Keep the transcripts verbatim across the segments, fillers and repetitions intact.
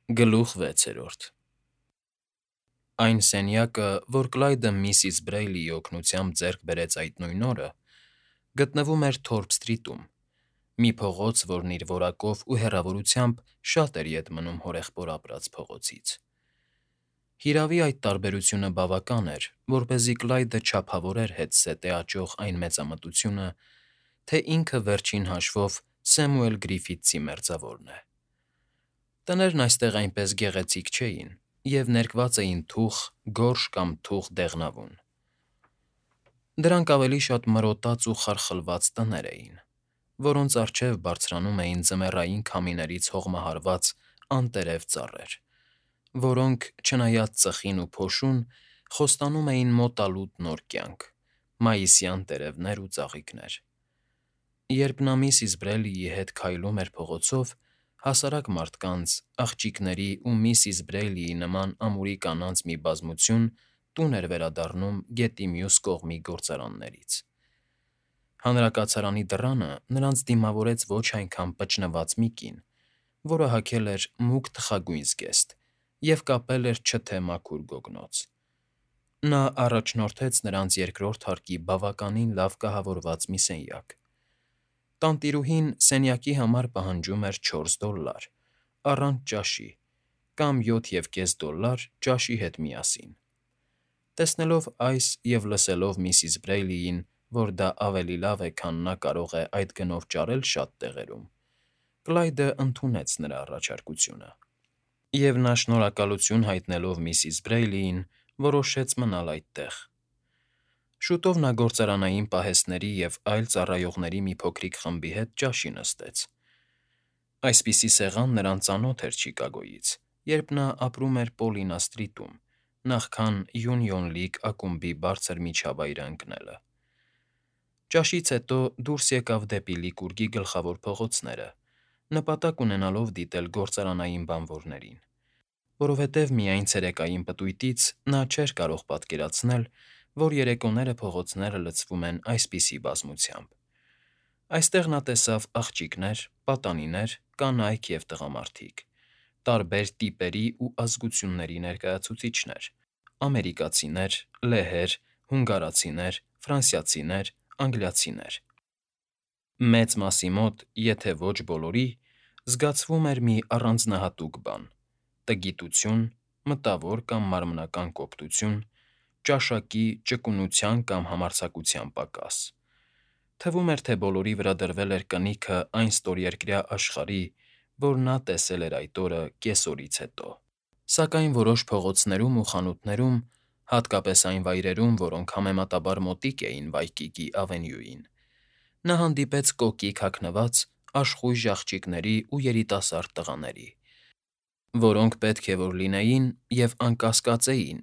Գլուխ վեցերորդ Այն սենյակը, որ Կլայդը միսիս Բրեյլիի օգնությամբ ձեռք բերեց այդ նույն օրը, գտնվում էր Թորփ Սթրիթում, մի փողոց, որն իր որակով ու հեռավորությամբ շատ էր ետ մնում հորեղբոր ապրած փողոցից։ Հիրավի, այդ տարբերությունը բավական էր, որպեսզի Կլայդը չափավորեր հետզհետե աճող այն մեծամտությունը, թե ինքը, վերջին հաշվով, Սեմուել Գրիֆիթսի մերձավորն է։ Տներն այստեղ այնպես գեղեցիկ չէին և ներկված էին թուխ, գորշ կամ թուխ դեղնավուն. դրանք ավելի շատ մրոտած ու խարխլված տներ էին, որոնց առջև բարձրանում էին ձմեռային քամիներից հողմահարված անտերև ծառեր, որոնք, չնայած ծխին ու փոշուն, խոստանում էին մոտալուտ նոր կյանք, մայիսյան տերևներ ու ծաղիկներ։ Երբ նա միսիս Բրեյլիի հետ քայլում էր փողոցով, հասարակ մարդկանց, աղջիկների ու միսիս Բրեյլիի նման ամուրի կանանց մի բազմություն տուն էր վերադառնում գետի մյուս կողմի գործարաններից։ Հանրակացարանի դռանը նրանց դիմավորեց ոչ այնքան պճնված մի կին, որը հագել էր մուգ թխագույն զգեստ և կապել էր չթե մաքուր գոգնոց։ Նա առաջնորդեց նրանց երկրորդ հարկի բավականին լավ կահավորված մի սենյակ։ Տանտիրուհին սենյակի համար պահանջում էր չորս դոլլար, առանց ճաշի, կամ յոթ և կես դոլլար ճաշի հետ միասին։ Տեսնելով այս և լսելով միսիս Բրեյլիին, որ դա ավելի լավ է, քան նա կարող է այդ գնով ճարել շատ տեղերում, Կլայդը ընդունեց նրա առաջարկությունը, և նա, շնորհակալություն հայտնելով միսիս Բրեյլիին, որոշեց մնալ այդտեղ։ Շուտով նա գործարանային պահեստների և այլ ծառայողների մի փոքրիկ խմբի հետ ճաշի նստեց։ Այսպիսի սեղան նրան ծանոթ էր Չիկագոյից, երբ նա ապրում էր Պոլինա Սթրիթում, նախքան Յունիոն Լիգ ակումբի բարձր միջավայրը ընկնելը։ Ճաշից հետո դուրս եկավ դեպի Լիկուրգի գլխավոր փողոցները, նպատակ ունենալով դիտել գործարանային բանվորներին, որովհետև միայն ցերեկային պտույտից նա չէր կարող պատկերացնել, որ երեկոները փողոցները լցվում են այսպիսի բազմությամբ։ Այստեղ նա տեսավ աղջիկներ, պատանիներ, կանայք և տղամարդիկ, տարբեր տիպերի ու ազգությունների ներկայացուցիչներ՝ ամերիկացիներ, լեհեր, հունգարացիներ, ֆրանսիացիներ, անգլիացիներ։ Մեծ մասի մոտ, եթե ոչ բոլորի, զգացվում էր մի առանձնահատուկ բան՝ տգիտություն, մտավոր կամ մարմնական կոպտություն, ճաշակի, ճկունության կամ համարձակության պակաս։ Թվում էր, թե բոլորի վրա դրվել էր կնիքը այն ստորերկրյա աշխարհի, որ նա տեսել էր այդ օրը կեսօրից հետո։ Սակայն որոշ փողոցներում ու խանութներում, հատկապես այն վայրերում, որոնք համեմատաբար մոտիկ էին Վայկիգի ավենյուին, նա հանդիպեց կոկիկ հագնված, աշխույժ աղջիկների ու երիտասարդ տղաների, որոնք պետք է որ լինեին և անկասկած էին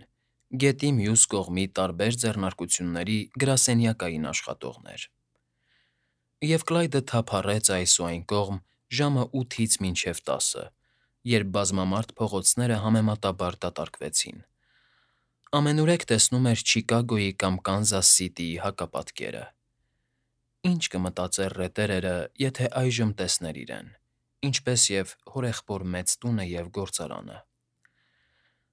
գետի մյուս կողմի տարբեր ձեռնարկությունների գրասենյակային աշխատողներ։ Եվ Կլայդը թափառեց այս ու այն կողմ ժամը ութից մինչև տասը, երբ բազմամարդ փողոցները համեմատաբար դատարկվեցին։ Ամենուրեք տեսնում էր Չիկագոյի կամ Կանզաս Սիթիի հակապատկերը։ Ի՞նչ կմտածեր ռետերերը, եթե այժմ տեսներ իրեն, ինչպես և հորեղբոր մեծ տունը և գործարանը։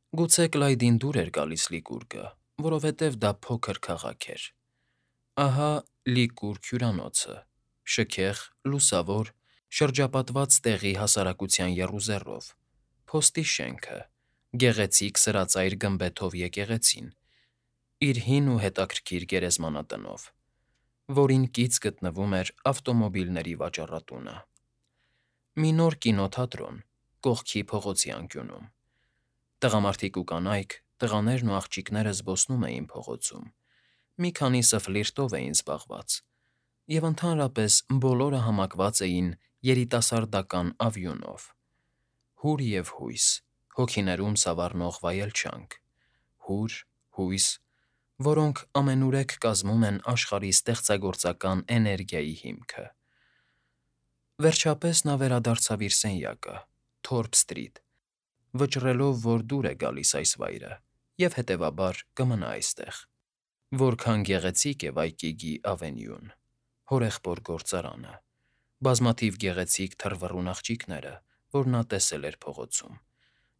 Գուցե Կլայդին դուր էր գալիս Լիկուրգը, որովհետև դա փոքր քաղաք էր։ Ահա Լիկուրգ հյուրանոցը՝ շքեղ, լուսավոր, շրջապատված տեղի հասարակության եռուզեռով, փոստի շենքը, գեղեցիկ սրածայր գմբեթով եկեղեցին, իր հին ու հետաքրքիր գերեզմանատնով, որին կից գտնվում էր ավտոմոբիլների վաճառատունը։ Մի նոր կինոթատրոն՝ կողքի փողոցի անկյունում։ Տղամարդիկ ու կանայք, տղաներն ու աղջիկները զբոսնում էին փողոցում, մի քանիսը ֆլիրտով էին զբաղված, և ընդհանրապես բոլորը համակված էին երիտասարդական ավյունով՝ հուր և հույս, հոգիներում սավառնող վայելչանք, հուր, հույս, որոնք ամենուրեք կազմում են աշխարհի ստեղծագործական էներգիայի հիմքը։ Վերջապես նա վերադարձավ իր սենյակը՝ Թորփ Սթրիթ, վճռելով, որ դուր է գալիս այս վայրը և, հետևաբար, կմնա այստեղ։ Որքան գեղեցիկ է Վայկիգի ավենյուն, հորեղբոր գործարանը, բազմաթիվ գեղեցիկ թռվռուն աղջիկները, որ նա տեսել էր փողոցում,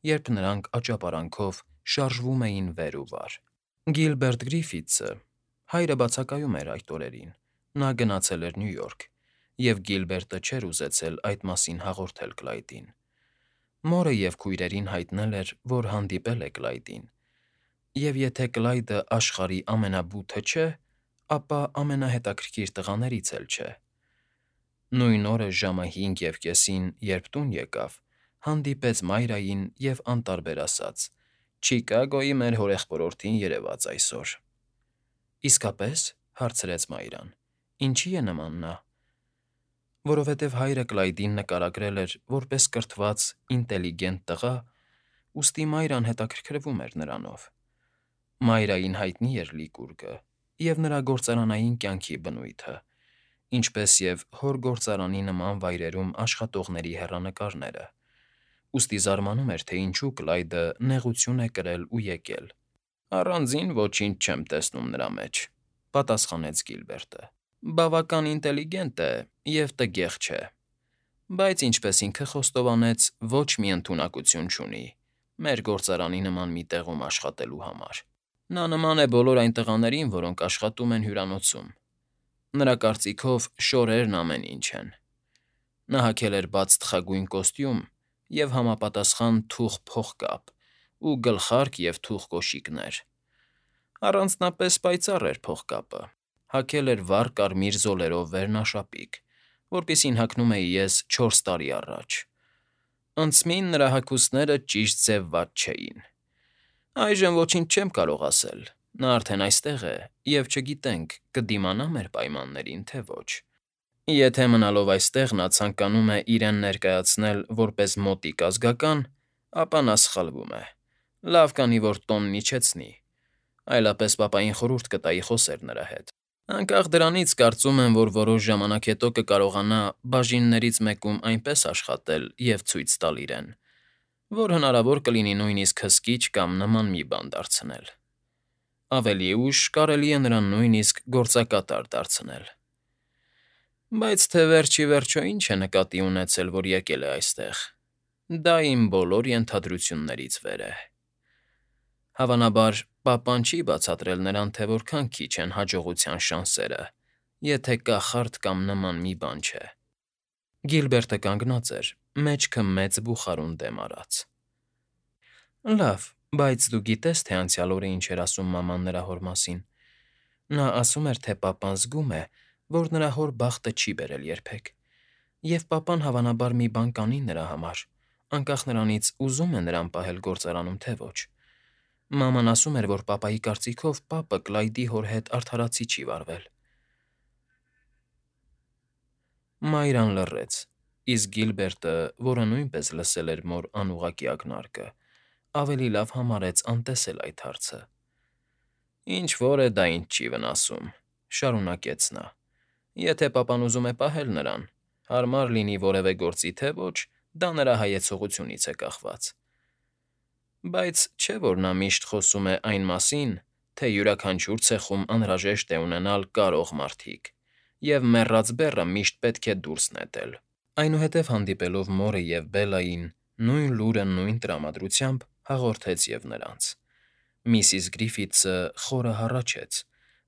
երբ նրանք աճապարանքով շարժվում էին վեր ու վար։ Գիլբերտ Գրիֆիթսը հայրը բացակայում էր այդ օրերին, նա գնացել էր Նյու Յորք, և Գիլբերտը չէր ուզեցել այդ մասին հաղորդել Կլայդին։ Մորը և քույրերին հայտնել էր, որ հանդիպել է Կլայդին, և եթե Կլայդը աշխարհի ամենաբութը չէ, ապա ամենահետաքրքիր տղաներից էլ չէ։ Նույն օրը ժամը հինգ և կեսին, երբ տուն եկավ, հանդիպեց Մայրային և անտարբեր ասաց. «Չիկագոյի մեր հորեղբորորդին երևաց այսօր»։ «Իսկապես,» հարցրեց Մայրան, «ինչի է նման նա»։ Որովհետև հայրը Կլայդին նկարագրել էր որպես կրթված, ինտելիգենտ տղա, ուստի Մայրան հետաքրքրվում էր նրանով։ Մայրային հայտնի էր Լիկուրգը և նրա գործարանային կյանքի բնույթը, ինչպես և հոր գործարանի նման վայրերում աշխատողների հեռանկարները, ուստի զարմանում էր, թե ինչու Կլայդը նեղություն է կրել ու եկել։ «Առանձին ոչինչ չեմ տեսնում նրա մեջ,» պատասխանեց Գիլբերտը։ «Բավական ինտելիգենտ է և տգեղ չէ, բայց, ինչպես ինքը խոստովանեց, ոչ մի ընդունակություն չունի մեր գործարանի նման մի տեղում աշխատելու համար։ Նա նման է բոլոր այն տղաներին, որոնք աշխատում են հյուրանոցում։ Նրա կարծիքով շորերն ամեն ինչ են։ Նա հագել էր բաց թխագույն կոստյում և համապատասխան թուխ փողկապ ու գլխարկ և թուխ կոշիկներ։ Առանձնապես պայծառ էր փողկապը, հագել էր վառ կարմիր զոլերով վերնաշապիկ, որպիսին հագնում էի ես չորս տարի առաջ։ Անցմին նրա հագուստները ճիշտ ձևված չէին։ Այժմ ոչինչ չեմ կարող ասել, նա արդեն այստեղ է, և չգիտենք կդիմանա՞ մեր պայմաններին, թե ոչ։ Եթե մնալով այստեղ նա ցանկանում է իրեն ներկայացնել որպես մոտիկ ազգական, ապա նա սխալվում է։ Լավ կանի, որ տոնն իջեցնի, այլապես պապային խորհուրդ կտայի խոսել նրա հետ։ Անկախ դրանից, կարծում եմ, որ որոշ ժամանակ հետո կկարողանա բաժիններից մեկում այնպես աշխատել և ցույց տալ իրեն, որ հնարավոր կլինի նույնիսկ հսկիչ կամ նման մի բան դարձնել։ Ավելի ուշ կարելի է նրան նույնիսկ գործակատար դարձնել։ Բայց թե վերջ ի վերջո ինչ է նկատի ունեցել, որ եկել է այստեղ, դա իմ բոլոր ենթադրություններից վեր է։ Հավանաբար, պապան չի բացատրել նրան, թե որքան քիչ են հաջողության շանսերը, եթե կախարդ կամ նման մի բան չէ։ Գիլբերտը կանգնած էր, մեջքը մեծ բուխարուն դեմ արած։ Լավ, բայց դու գիտե՞ս, թե անցյալ օրը ինչ էր ասում մաման նրա հոր մասին։ Նա ասում էր, թե պապան զգում է, որ նրա հոր բախտը չի բերել երբեք, և պապան հավանաբար մի բան կանի նրա համար, անկախ նրանից ուզում է նրան պահել գործարանում, թե ոչ։ Մաման ասում էր, որ պապայի կարծիքով պապը Կլայդի հոր հետ արդարացի չի վարվել։ Մայրան լռեց, իսկ Գիլբերտը, որը նույնպես լսել էր մոր անուղղակի ակնարկը, ավելի լավ համարեց անտեսել այդ հարցը։ «Ինչ֊որ է, դա ինձ չի վնասում,» շարունակեց նա։ «Եթե պապան ուզում է պահել նրան, հարմար լինի որևէ գործի, թե ոչ, դա նրա հայեցողությունից է կախված։ Բայց չէ՞ որ նա միշտ խոսում է այն մասին, թե յուրաքանչյուր ցեխում անհրաժեշտ է ունենալ կարող մարդիկ, և մեռած բեռը միշտ պետք է դուրս նետել»։ Այնուհետև հանդիպելով մորը և Բելլային, նույն լուրը նույն տրամադրությամբ հաղորդեց և նրանց։ Միսիս Գրիֆիթսը խորը հառաչեց,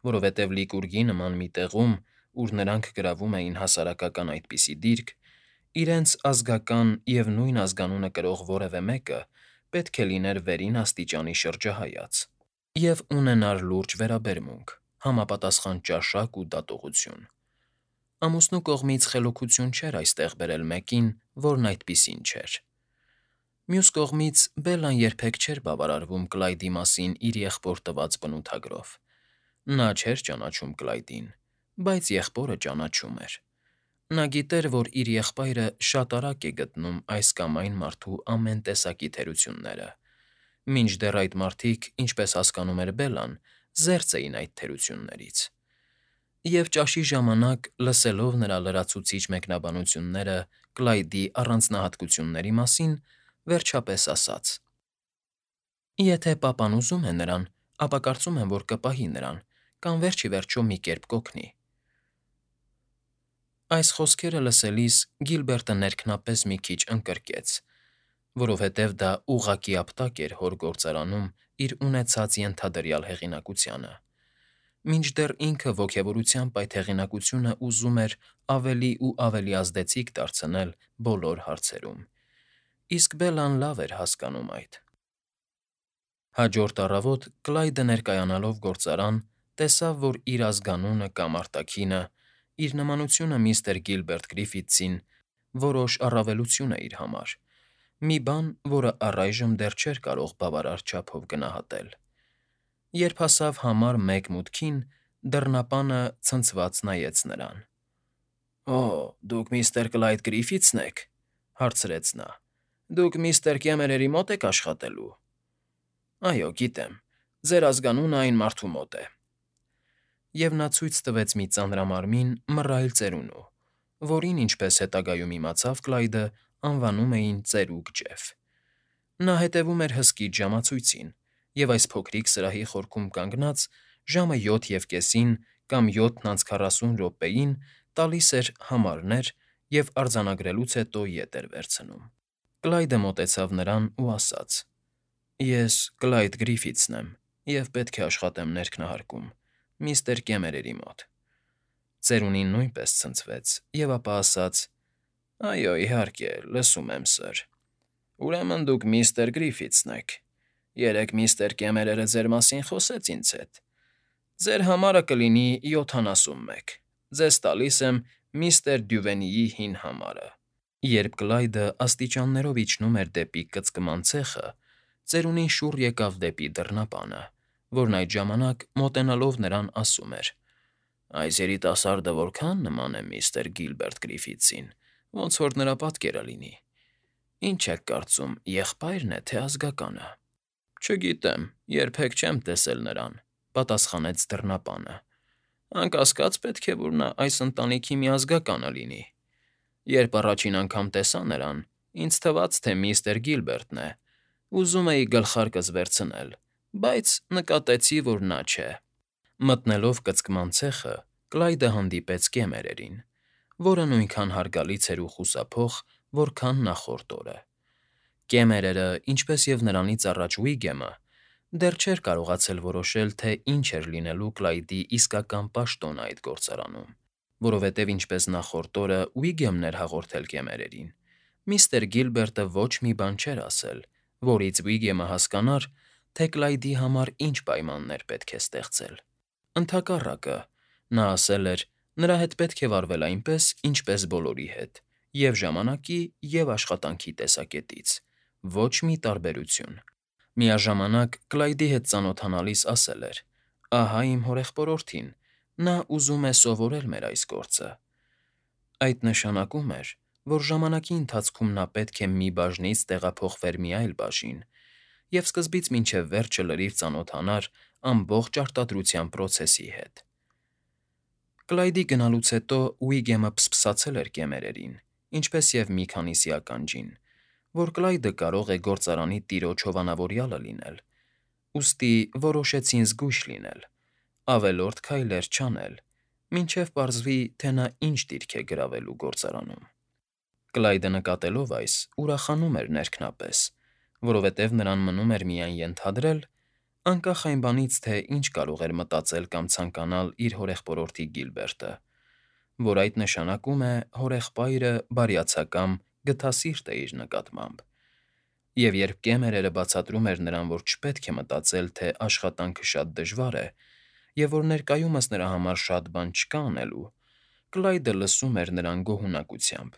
որովհետև Լիկուրգի նման մի տեղում, ուր նրանք գրավում էին հասարակական այդպիսի դիրք, իրենց ազգական և նույն ազգանունը կրող որևէ մեկը պետք է լիներ վերին աստիճանի շրջահայաց և ունենար լուրջ վերաբերմունք, համապատասխան ճաշակ ու դատողություն։ Ամուսնու կողմից խելոքություն չէր այստեղ բերել մեկին, որն այդպիսին չէր։ Մյուս կողմից Բելլան երբեք չէր բավարարվում Կլայդի մասին իր եղբոր տված բնութագրով։ Նա չէր ճանաչում Կլայդին, բայց եղբորը ճանաչում էր։ Նա գիտեր, որ իր եղբայրը շատ արագ է գտնում այս կամ այն մարդու ամեն տեսակի թերությունները, մինչդեռ այդ մարդիկ, ինչպես հասկանում էր Բելլան, զերծ էին այդ թերություններից։ Եվ ճաշի ժամանակ, լսելով նրա լրացուցիչ մեկնաբանությունները Կլայդի առանձնահատկությունների մասին, վերջապես ասաց. «Եթե պապան ուզում է նրան, ապա կարծում եմ, որ կպահի նրան կամ վերջ ի վերջո մի կերպ կօգնի»։ Այս խոսքերը լսելիս Գիլբերտը ներքնապես մի քիչ ընկրկեց, որովհետև դա ուղղակի ապտակ էր հոր գործարանում իր ունեցած ենթադրյալ հեղինակությանը, մինչդեռ ինքը ոգևորությամբ այդ հեղինակությունը ուզում էր ավելի ու ավելի ազդեցիկ դարձնել բոլոր հարցերում, իսկ Բելլան լավ էր հասկանում այդ։ Հաջորդ առավոտ Կլայդը ներկայանալով գործարան, տեսավ, որ իր ազգանունը կամ արտաքինը, իր նմանությունը միստր Գիլբերտ Գրիֆիթսին, որոշ առավելություն է իր համար, մի բան, որը առայժմ դեռ չէր կարող բավարար չափով գնահատել։ Երբ հասավ համար մեկ մուտքին, դռնապանը ցնցված նայեց նրան։ ֊ Օ, դուք միստր Կլայդ Գրիֆիթսն եք,֊ հարցրեց նա։ Դուք միստր Կեմերերի մոտ եք աշխատելու։ ֊ Այո, գիտեմ, ձեր ազգանունը այն մարդու մոտ է։ Եվ նա ցույց տվեց մի ծանրամարմին, մռայլ ծերունու, որին, ինչպես հետագայում իմացավ Կլայդը, անվանում էին ծերուկ Ջեֆ։ Նա հետևում էր հսկիչ ժամացույցին, և այս փոքրիկ սրահի խորքում կանգնած, ժամը յոթ և կեսին կամ յոթն անց քառասուն րոպեին տալիս էր համարներ և արձանագրելուց հետո ետ էր վերցնում։ Կլայդը մոտեցավ նրան ու ասաց. «Ես Կլայդ Գրիֆիթսն եմ և պետք է աշխատեմ ներքնահարկում, միստր Կեմերերի մոտ»։ Ծերունին նույնպես ցնցվեց և ապա ասաց. «Այո, իհարկե, լսում եմ, սըր, ուրեմն դուք միստր Գրիֆիթսն եք. երեկ միստր Կեմերերը ձեր մասին խոսեց ինձ հետ։ Ձեր համարը կլինի յոթանասունմեկ, ձեզ տալիս եմ միստր Դյուվենիի հին համարը»։ Երբ Կլայդը աստիճաններով իջնում էր դեպի կծկման ցեխը, ծերունին շուռ եկավ դեպի դռնապանը, որն այդ ժամանակ, մոտենալով նրան, ասում էր. «Այս երիտասարդը որքա՜ն նման է միստր Գիլբերտ Գրիֆիթսին, ոնց որ նրա պատկերը լինի։ Ինչ եք կարծում, եղբա՞յրն է, թե ազգականը»։ «Չգիտեմ, երբեք չեմ տեսել նրան,֊ պատասխանեց դռնապանը։ «Անկասկած, պետք է, որ նա այս ընտանիքի մի ազգականը լինի։ Երբ առաջին անգամ տեսա նրան, ինձ թվաց, թե միստր Գիլբերտն է, ուզում էի գլխարկս վերցնել, բայց նկատեցի, որ նա չէ»։ Մտնելով կծկման ցեխը՝ Կլայդը հանդիպեց Կեմերերին, որը նույնքան հարգալից էր ու խուսափող, որքան նախորդ օրը։ Կեմերերը, ինչպես և նրանից առաջ Ուիգեմը, դեռ չէր կարողացել որոշել, թե ինչ էր լինելու Կլայդի իսկական պաշտոնը այդ գործարանում, որովհետև, ինչպես նախորդ օրը Ուիգեմն էր հաղորդել Կեմերերին, միստր Գիլբերտը ոչ մի բան չէր ասել, որից Ուիգեմը հասկանար, թե Կլայդի համար ինչ պայմաններ պետք է ստեղծել։ Ընդհակառակը, նա ասել էր, նրա հետ պետք է վարվել այնպես, ինչպես բոլորի հետ, և՛ ժամանակի, և՛ աշխատանքի տեսակետից, ոչ մի տարբերություն։ Միաժամանակ Կլայդի հետ ծանոթանալիս ասել էր. «Ահա իմ հորեղբորորդին, նա ուզում է սովորել մեր այս գործը»։ Այդ նշանակում էր, որ ժամանակի ընթացքում նա պետք է մի բաժնից տեղափոխվեր մի այլ բաժին և սկզբից մինչև վերջը լրիվ ծանոթանար ամբողջ արտադրության պրոցեսի հետ։ Կլայդի գնալուց հետո Ուիգեմը փսփսացել էր Կեմերերին, ինչպես և մի քանիսի ականջին, որ Կլայդը կարող է գործարանի տիրոջ հովանավորյալը լինել, ուստի որոշեցին զգույշ լինել, ավելորդ քայլեր չանել, մինչև պարզվի, թե նա ինչ դիրք է գրավելու գործարանում։ Կլայդը նկատելով այս, ուրախանում էր ներքնապես, որովհետև նրան մնում էր միայն ենթադրել, անկախ այն բանից, թե ինչ կարող էր մտածել կամ ցանկանալ իր հորեղբորորդի Գիլբերտը, որ այդ նշանակում է հորեղբայրը բարյացակամ, գթասիրտ է իր նկատմամբ, և երբ Կեմերերը բացատրում էր նրան, որ չպետք է մտածել, թե աշխատանքը շատ դժվար է, և որ ներկայումս նրա համար շատ բան չկա անելու, Կլայդը լսում էր նրան գոհունակությամբ։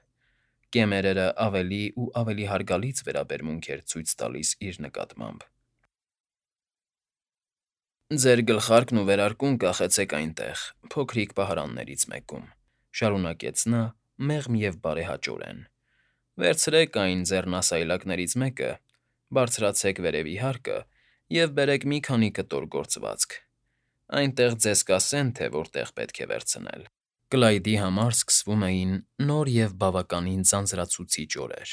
Կեմերերը ավելի ու ավելի հարգալից վերաբերմունք էր ցույց տալիս իր նկատմամբ։ «Ձեր գլխարկն ու վերարկուն կախեցեք այնտեղ, փոքրիկ պահարաններից մեկում,֊ շարունակեց նա մեղմ և բարեհաճորեն։֊ Վերցրեք այն ձեռնասայլակներից մեկը, բարձրացեք վերևի հարկը և բերեք մի քանի կտոր գործվածք։ Այնտեղ ձեզ կասեն, թե որտեղ պետք է վերցնել»։ Կլայդի համար սկսվում էին նոր և բավականին ձանձրացուցիչ օրեր։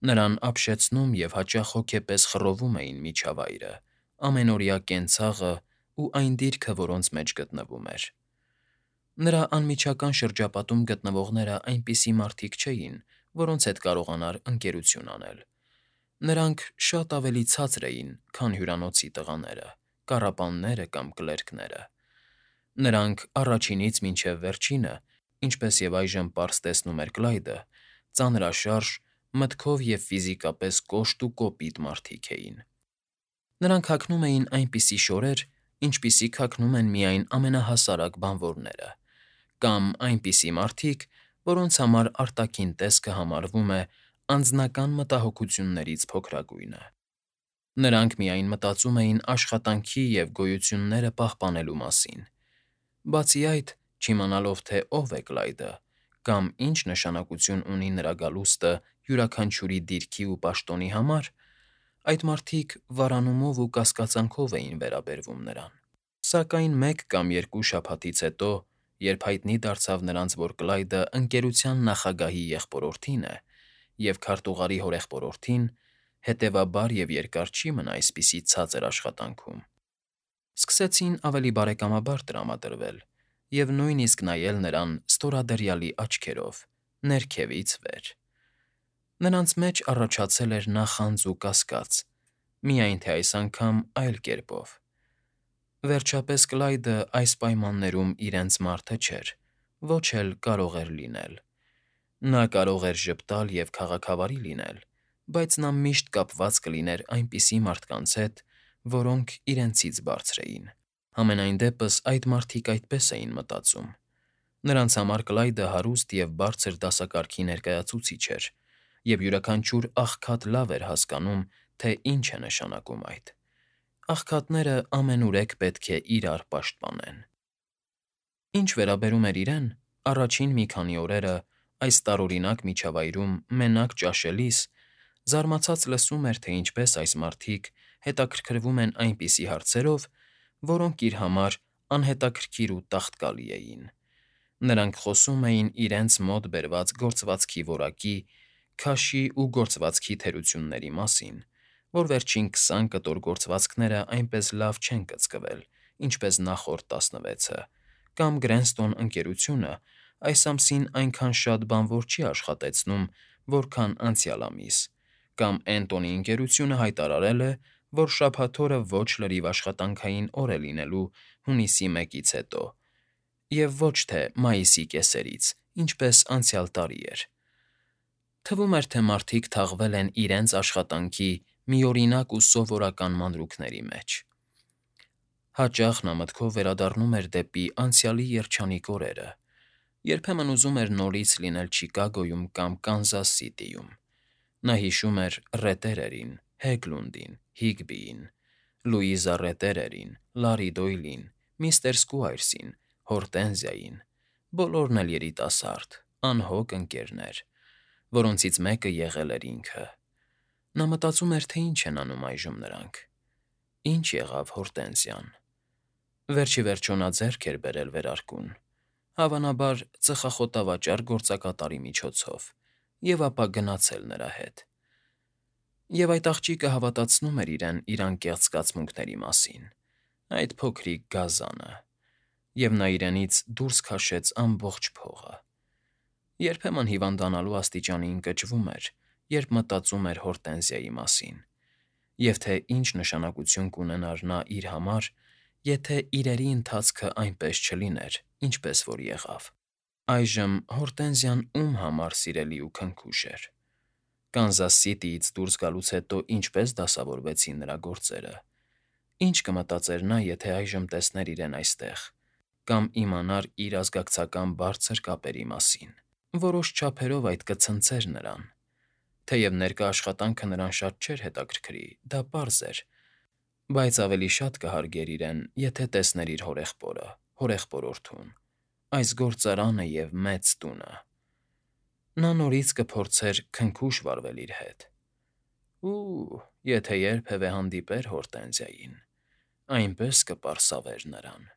Նրան ապշեցնում և հաճախ հոգեպես խռովում էին միջավայրը, ամենօրյա կենցաղն ու այն դիրքը, որոնց մեջ գտնվում էր։ Նրա անմիջական շրջապատում գտնվողները այնպիսի մարդիկ չէին, որոնց հետ կարողանար ընկերություն անել։ Նրանք շատ ավելի ցածր էին, քան հյուրանոցի տղաները, կառապանները կամ կլերկները. նրանք առաջինից մինչև վերջինը, ինչպես և այժմ պարզ տեսնում էր Կլայդը, ծանրաշարժ, մտքով և ֆիզիկապես կոշտ ու կոպիտ մարդիկ էին։ Նրանք հագնում էին այնպիսի շորեր, ինչպիսիք հագնում են միայն ամենահասարակ բանվորները, կամ այնպիսի մարդիկ, որոնց համար արտաքին տեսքը համարվում է անձնական մտահոգություններից փոքրագույնը։ Նրանք միայն մտածում էին աշխատանքի և գոյությունները պահպանելու մասին, բացի այդ, չիմանալով, թե ով է Կլայդը կամ ինչ նշանակություն ունի նրա գալուստը յուրաքանչյուրի դիրքի ու պաշտոնի համար, այդ մարդիկ վարանումով ու կասկածանքով էին վերաբերվում նրան։ Սակայն մեկ կամ երկու շաբաթից հետո, երբ հայտնի դարձավ նրանց, որ Կլայդը ընկերության նախագահի եղբորորդին է, և քարտուղարի հորեղբորորդին, հետևաբար և երկար չի մնա այսպիսի ցածր աշխատանքում, սկսեցին ավելի բարեկամաբար տրամադրվել և նույնիսկ նայել նրան ստորադրյալի աչքերով, ներքևից վեր։ Նրանց մեջ առաջացել էր նախանձ ու կասկած, միայն թե այս անգամ այլ կերպով։ Վերջապես Կլայդը այս պայմաններում իրենց մարդը չէր, ոչ էլ կարող էր լինել։ Նա կարող էր ժպտալ և քաղաքավարի լինել, բայց նա միշտ կապված կլիներ այնպիսի մարդկանց հետ, որոնք իրենցից բարձր էին։ Համենայն դեպս այդ մարդիկ այդպես էին մտածում։ Նրանց համար Կլայդը հարուստ և բարձր դասակարգի ներկայացուցիչ էր, և յուրաքանչյուր աղքատ լավ էր հասկանում, թե ինչ է նշանակում այդ։ Աղքատները ամենուրեք պետք է իրար պաշտպանեն։ Ինչ վերաբերում էր իրեն, առաջին մի քանի օրերը, այս տարօրինակ միջավայրում մենակ ճաշելիս, զարմացած լսում էր, թե ինչպես այս մարդիկ հետաքրքրվում են այնպիսի հարցերով, որոնք իր համար անհետաքրքիր ու տաղտկալի էին։ Նրանք խոսում էին իրենց մոտ բերված գործվածքի որակի, քաշի ու գործվածքի թերությունների մասին, որ վերջին քսան կտոր գործվածքները այնպես լավ չեն կցկվել, ինչպես նախորդ տասնվեցը, կամ Գրենստոն ընկերությունը այս ամսին այնքան շատ բանվոր չի աշխատեցնում, որքան անցյալ ամիս, կամ Էնտոնի ընկերությունը հայտարարել է, որ շաբաթ օրը ոչ լրիվ աշխատանքային օր է լինելու հունիսի մեկից հետո, և ոչ թե մայիսի կեսերից, ինչպես անցյալ տարի էր։ Թվում էր, թե մարդիկ թաղվել են իրենց աշխատանքի միօրինակ ու սովորական մանրուքների մեջ։ Հաճախ նա մտքով վերադառնում էր դեպի անցյալի երջանիկ օրերը, երբեմն ուզում էր նորից լինել Չիկագոյում կամ Կանզաս Սիթիում։ Նա հիշում էր Ռետերերին, Հեգլունդին, Հիգբիին, Լուիզա Ռետերերին, Լարի Դոյլին, միստր Սկուայրսին, Հորտենզիային, բոլորն էլ երիտասարդ, անհոգ ընկերներ, որոնցից մեկը եղել էր ինքը։ Նա մտածում էր, թե ինչ են անում այժմ նրանք։ Ինչ եղավ Հորտենզիան։ Վերջ ի վերջո նա ձեռք էր բերել վերարկուն, հավանաբար ծխախոտավաճառ գործակատարի միջոցով, և ապա գնացել նրա հետ։ Եվ այդ աղջիկը հավատացնում էր իրեն իր անկեղծ զգացմունքների մասին, այդ փոքրիկ գազանը, և նա իրենից դուրս քաշեց ամբողջ փողը։ Երբեմն հիվանդանալու աստիճանի ընկճվում էր, երբ մտածում էր Հորտենզիայի մասին, և թե ինչ նշանակություն կունենար նա իր համար, եթե իրերի ընթացքը այնպես չլիներ, ինչպես որ եղավ։ Այժմ Հորտենզիան ում համար սիրելի ու քնքուշ էր։ Կանզաս Սիթիից դուրս գալուց հետո ինչպե՞ս դասավորվեցին նրա գործերը։ Ինչ կմտածեր նա, եթե այժմ տեսներ իրեն այստեղ, կամ իմանար իր ազգակցական բարձր կապերի մասին։ Որոշ չափերով այդ կցնցեր նրան։ Թեև ներկա աշխատանքը նրան շատ չէր հետաքրքրի, դա պարզ էր, բայց ավելի շատ կհարգեր իրեն, եթե տեսներ իր հորեղբորը, հորեղբորորդուն, այս գործարանը և մեծ տունը։ Նա նորից կփորձեր քնքուշ վարվել իր հետ։ Ու, եթե երբևէ հանդիպեր Հորտենզիային, այնպես կպարսավեր նրան։